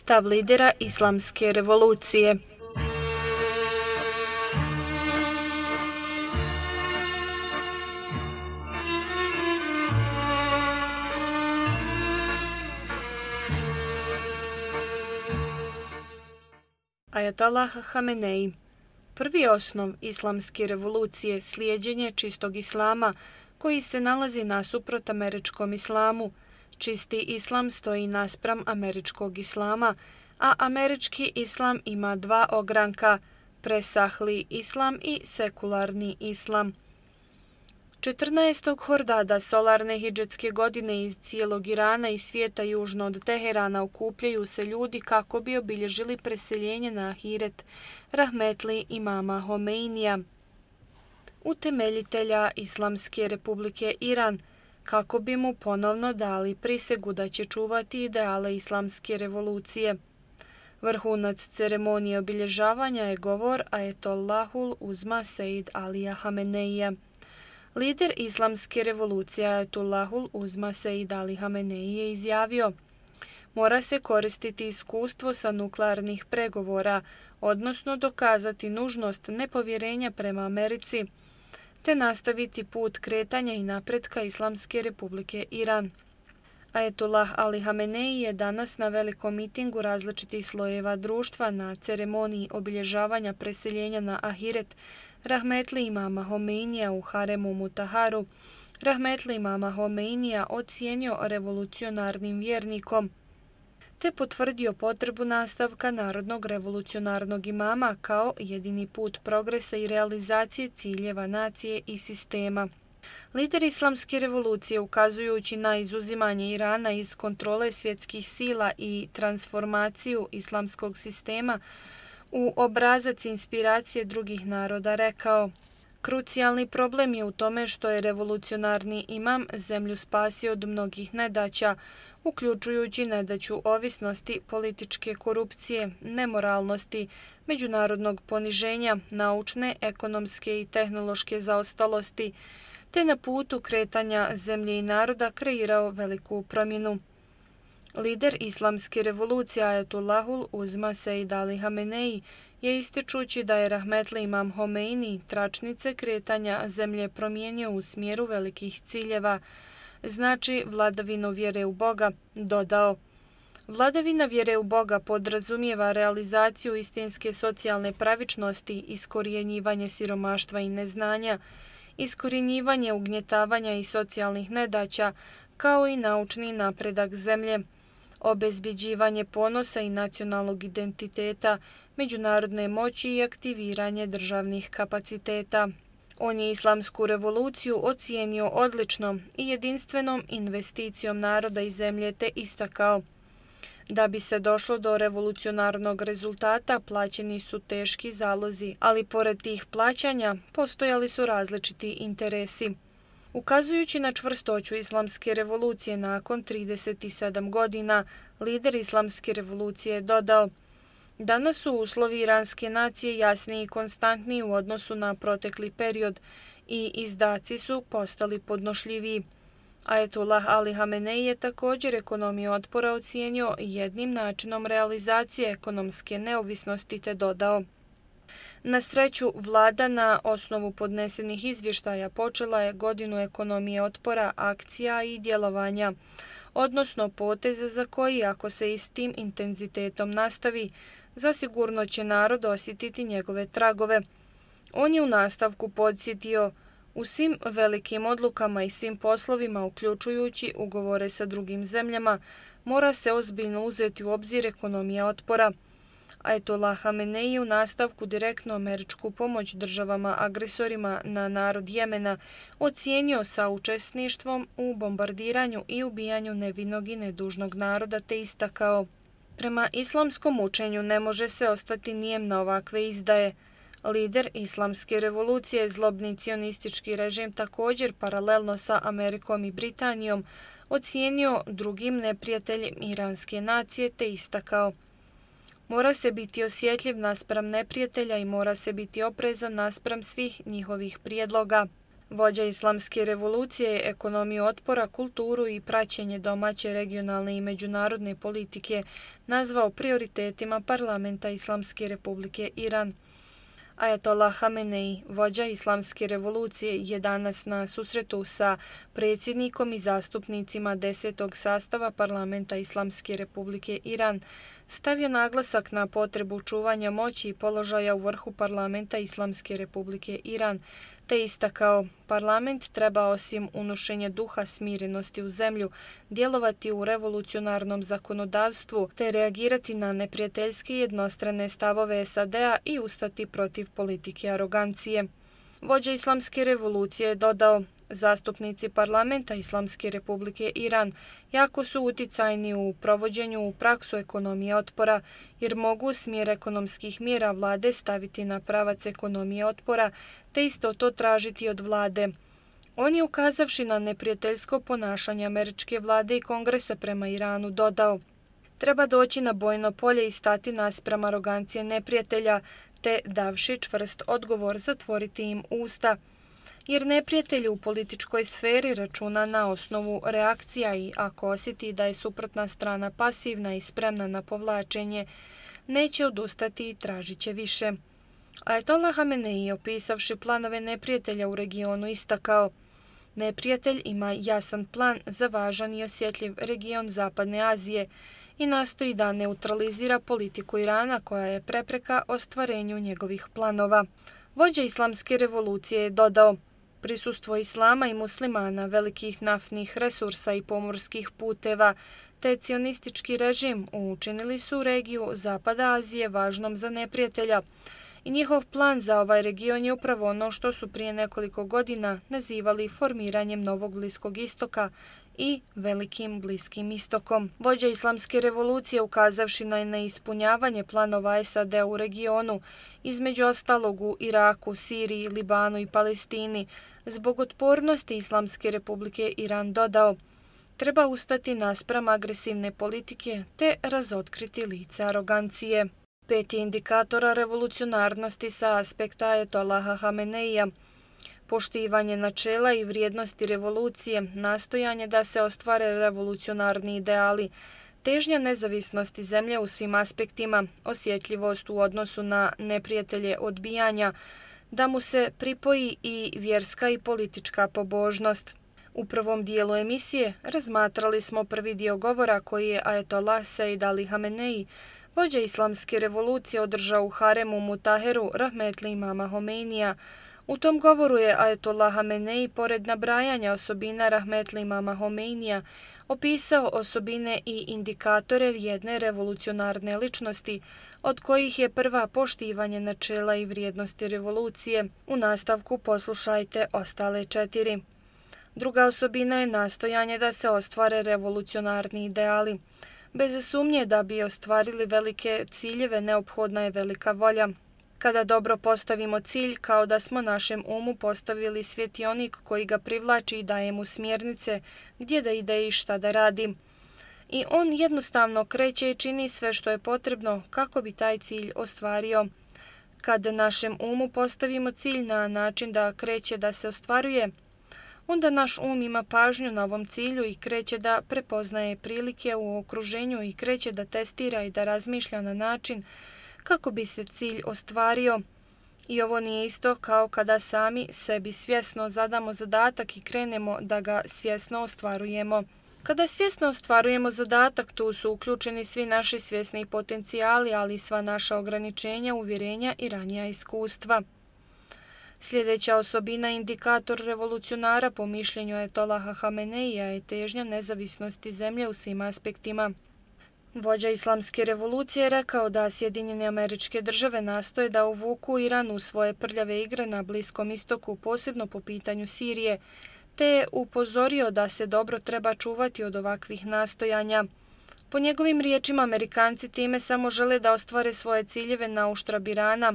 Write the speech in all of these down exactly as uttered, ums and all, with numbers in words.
Stav lidera islamske revolucije. Ajatollah Hamenei. Prvi osnov islamske revolucije slijeđenje čistog islama koji se nalazi nasuprot američkom islamu. Čisti islam stoji naspram američkog islama, a američki islam ima dva ogranka, presahli islam i sekularni islam. četrnaestog Hordada solarne hidžetske godine iz cijelog Irana i svijeta južno od Teherana okupljaju se ljudi kako bi obilježili preseljenje na ahiret rahmetli imama Homeinija, utemeljitelja Islamske republike Iran, kako bi mu ponovno dali prisegu da će čuvati ideale islamske revolucije. Vrhunac ceremonije obilježavanja je govor Ajetollahul Uzma Sejd Alija Hameneija. Lider islamske revolucije Ajetollahul Uzma Sejd Ali Hamenei je izjavio: mora se koristiti iskustvo sa nuklearnih pregovora, odnosno dokazati nužnost nepovjerenja prema Americi, te nastaviti put kretanja i napretka Islamske republike Iran. Ajetollah Ali Hamenei je danas na velikom mitingu različitih slojeva društva na ceremoniji obilježavanja preseljenja na ahiret rahmetli imama Homeinija u haremu Mutaharu, rahmetli imama Homeinija ocijenio revolucionarnim vjernikom, te potvrdio potrebu nastavka narodnog revolucionarnog imama kao jedini put progresa i realizacije ciljeva nacije i sistema. Lider islamske revolucije, ukazujući na izuzimanje Irana iz kontrole svjetskih sila i transformaciju islamskog sistema u obrazac inspiracije drugih naroda, rekao: krucijalni problem je u tome što je revolucionarni imam zemlju spasio od mnogih nedaća, uključujući nedaću ovisnosti, političke korupcije, nemoralnosti, međunarodnog poniženja, naučne, ekonomske i tehnološke zaostalosti, te na putu kretanja zemlje i naroda kreirao veliku promjenu. Lider islamske revolucije Ajetollahul Uzma Sejd Ali Hamenei je ističući da je rahmetli imam Homeini tračnice kretanja zemlje promijenio u smjeru velikih ciljeva, znači vladavinu vjere u Boga, dodao: vladavina vjere u Boga podrazumijeva realizaciju istinske socijalne pravičnosti, iskorjenjivanje siromaštva i neznanja, iskorjenjivanje ugnjetavanja i socijalnih nedaća, kao i naučni napredak zemlje, obezbjeđivanje ponosa i nacionalnog identiteta, međunarodne moći i aktiviranje državnih kapaciteta. On je islamsku revoluciju ocijenio odličnom i jedinstvenom investicijom naroda i zemlje, te istakao: da bi se došlo do revolucionarnog rezultata plaćeni su teški zalozi, ali pored tih plaćanja postojali su različiti interesi. Ukazujući na čvrstoću islamske revolucije nakon trideset sedam godina, lider islamske revolucije je dodao: danas su uslovi iranske nacije jasniji i konstantniji u odnosu na protekli period i izdaci su postali podnošljiviji. Ajetollah Ali Hamenei je također ekonomiju otpora ocijenio jednim načinom realizacije ekonomske neovisnosti, te dodao: na sreću, vlada na osnovu podnesenih izvještaja počela je godinu ekonomije otpora, akcija i djelovanja, odnosno poteze za koji, ako se i s tim intenzitetom nastavi, zasigurno će narod osjetiti njegove tragove. On je u nastavku podsjetio: u svim velikim odlukama i svim poslovima, uključujući ugovore sa drugim zemljama, mora se ozbiljno uzeti u obzir ekonomija otpora. Ajetollah Hamenei u nastavku direktno američku pomoć državama agresorima na narod Jemena ocijenio saučesništvom u bombardiranju i ubijanju nevinog i nedužnog naroda, te istakao: prema islamskom učenju ne može se ostati nijem na ovakve izdaje. Lider islamske revolucije, zlobni cionistički režim, također paralelno sa Amerikom i Britanijom ocijenio drugim neprijateljem iranske nacije, te istakao: mora se biti osjetljiv naspram neprijatelja i mora se biti oprezan naspram svih njihovih prijedloga. Vođa islamske revolucije je ekonomiju otpora, kulturu i praćenje domaće, regionalne i međunarodne politike nazvao prioritetima parlamenta Islamske republike Iran. Ajatollah Hamenei, vođa islamske revolucije, je danas na susretu sa predsjednikom i zastupnicima desetog sastava parlamenta Islamske republike Iran stavio naglasak na potrebu čuvanja moći i položaja u vrhu parlamenta Islamske republike Iran, te istakao, parlament treba osim unošenja duha smirenosti u zemlju, djelovati u revolucionarnom zakonodavstvu te reagirati na neprijateljske jednostrane stavove S A D-a i ustati protiv politike arogancije. Vođa islamske revolucije je dodao, zastupnici parlamenta Islamske republike Iran jako su uticajni u provođenju u praksu ekonomije otpora, jer mogu smjer ekonomskih mjera vlade staviti na pravac ekonomije otpora, te isto to tražiti od vlade. On je, ukazavši na neprijateljsko ponašanje američke vlade i kongresa prema Iranu, dodao: treba doći na bojno polje i stati naspram arogancije neprijatelja, te, davši čvrst odgovor, zatvoriti im usta. Jer neprijatelj u političkoj sferi računa na osnovu reakcija i ako osjeti da je suprotna strana pasivna i spremna na povlačenje, neće odustati i tražit će više. Ajatollah Hamenei, opisavši planove neprijatelja u regionu, istakao: neprijatelj ima jasan plan za važan i osjetljiv region Zapadne Azije i nastoji da neutralizira politiku Irana koja je prepreka ostvarenju njegovih planova. Vođa islamske revolucije je dodao: prisustvo islama i muslimana, velikih naftnih resursa i pomorskih puteva, te cionistički režim učinili su regiju Zapada Azije važnom za neprijatelja i njihov plan za ovaj region je upravo ono što su prije nekoliko godina nazivali formiranjem Novog Bliskog istoka i Velikim Bliskim istokom. Vođa islamske revolucije, ukazavši na neispunjavanje planova S A D u regionu, između ostalog u Iraku, Siriji, Libanu i Palestini, zbog otpornosti Islamske republike Iran dodao: treba ustati naspram agresivne politike te razotkriti lice arogancije. Peti indikatora revolucionarnosti sa aspekta Ajatollaha Hameneija: poštivanje načela i vrijednosti revolucije, nastojanje da se ostvare revolucionarni ideali, težnja nezavisnosti zemlje u svim aspektima, osjetljivost u odnosu na neprijatelje odbijanja, da mu se pripoji i vjerska i politička pobožnost. U prvom dijelu emisije razmatrali smo prvi dio govora koji je Ajatollah Sejd Ali Hamenei, vođa islamske revolucije, održao u haremu Mutaheru rahmetli imama Homeinija. U tom govoru je Ajatollah Hamenei, pored nabrajanja osobina rahmetli imama Homeinija, opisao osobine i indikatore jedne revolucionarne ličnosti, od kojih je prva poštivanje načela i vrijednosti revolucije. U nastavku poslušajte ostale četiri. Druga osobina je nastojanje da se ostvare revolucionarni ideali. Bez sumnje da bi ostvarili velike ciljeve neophodna je velika volja. Kada dobro postavimo cilj, kao da smo našem umu postavili svjetionik koji ga privlači i daje mu smjernice gdje da ide i šta da radi. I on jednostavno kreće i čini sve što je potrebno kako bi taj cilj ostvario. Kad našem umu postavimo cilj na način da kreće da se ostvaruje, onda naš um ima pažnju na ovom cilju i kreće da prepoznaje prilike u okruženju i kreće da testira i da razmišlja na način kako bi se cilj ostvario. I ovo nije isto kao kada sami sebi svjesno zadamo zadatak i krenemo da ga svjesno ostvarujemo. Kada svjesno ostvarujemo zadatak, tu su uključeni svi naši svjesni potencijali, ali i sva naša ograničenja, uvjerenja i ranija iskustva. Sljedeća osobina, indikator revolucionara po mišljenju Ajatollaha Hameneija, je težnja nezavisnosti zemlje u svim aspektima. Vođa islamske revolucije je rekao da Sjedinjene Američke Države nastoje da uvuku Iran u svoje prljave igre na Bliskom istoku, posebno po pitanju Sirije, te je upozorio da se dobro treba čuvati od ovakvih nastojanja. Po njegovim riječima, Amerikanci time samo žele da ostvare svoje ciljeve na uštrb Irana.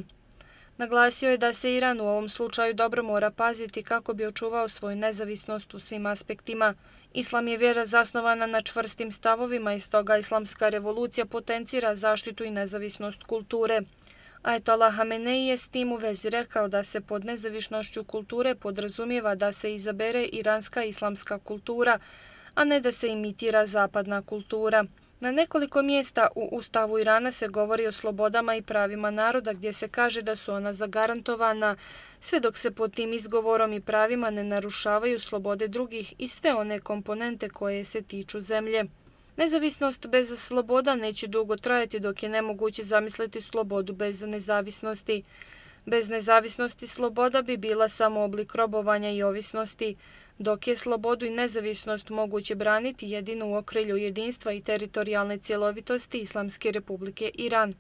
Naglasio je da se Iran u ovom slučaju dobro mora paziti kako bi očuvao svoju nezavisnost u svim aspektima. Islam je vjera zasnovana na čvrstim stavovima i stoga islamska revolucija potencira zaštitu i nezavisnost kulture. Ajatolah Hamenei je s tim u vezi rekao da se pod nezavisnošću kulture podrazumijeva da se izabere iranska islamska kultura, a ne da se imitira zapadna kultura. Na nekoliko mjesta u Ustavu Irana se govori o slobodama i pravima naroda gdje se kaže da su ona zagarantovana, sve dok se pod tim izgovorom i pravima ne narušavaju slobode drugih i sve one komponente koje se tiču zemlje. Nezavisnost bez sloboda neće dugo trajati dok je nemoguće zamisliti slobodu bez nezavisnosti. Bez nezavisnosti sloboda bi bila samo oblik robovanja i ovisnosti, dok je slobodu i nezavisnost moguće braniti jedino u okrilju jedinstva i teritorijalne cjelovitosti Islamske Republike Iran.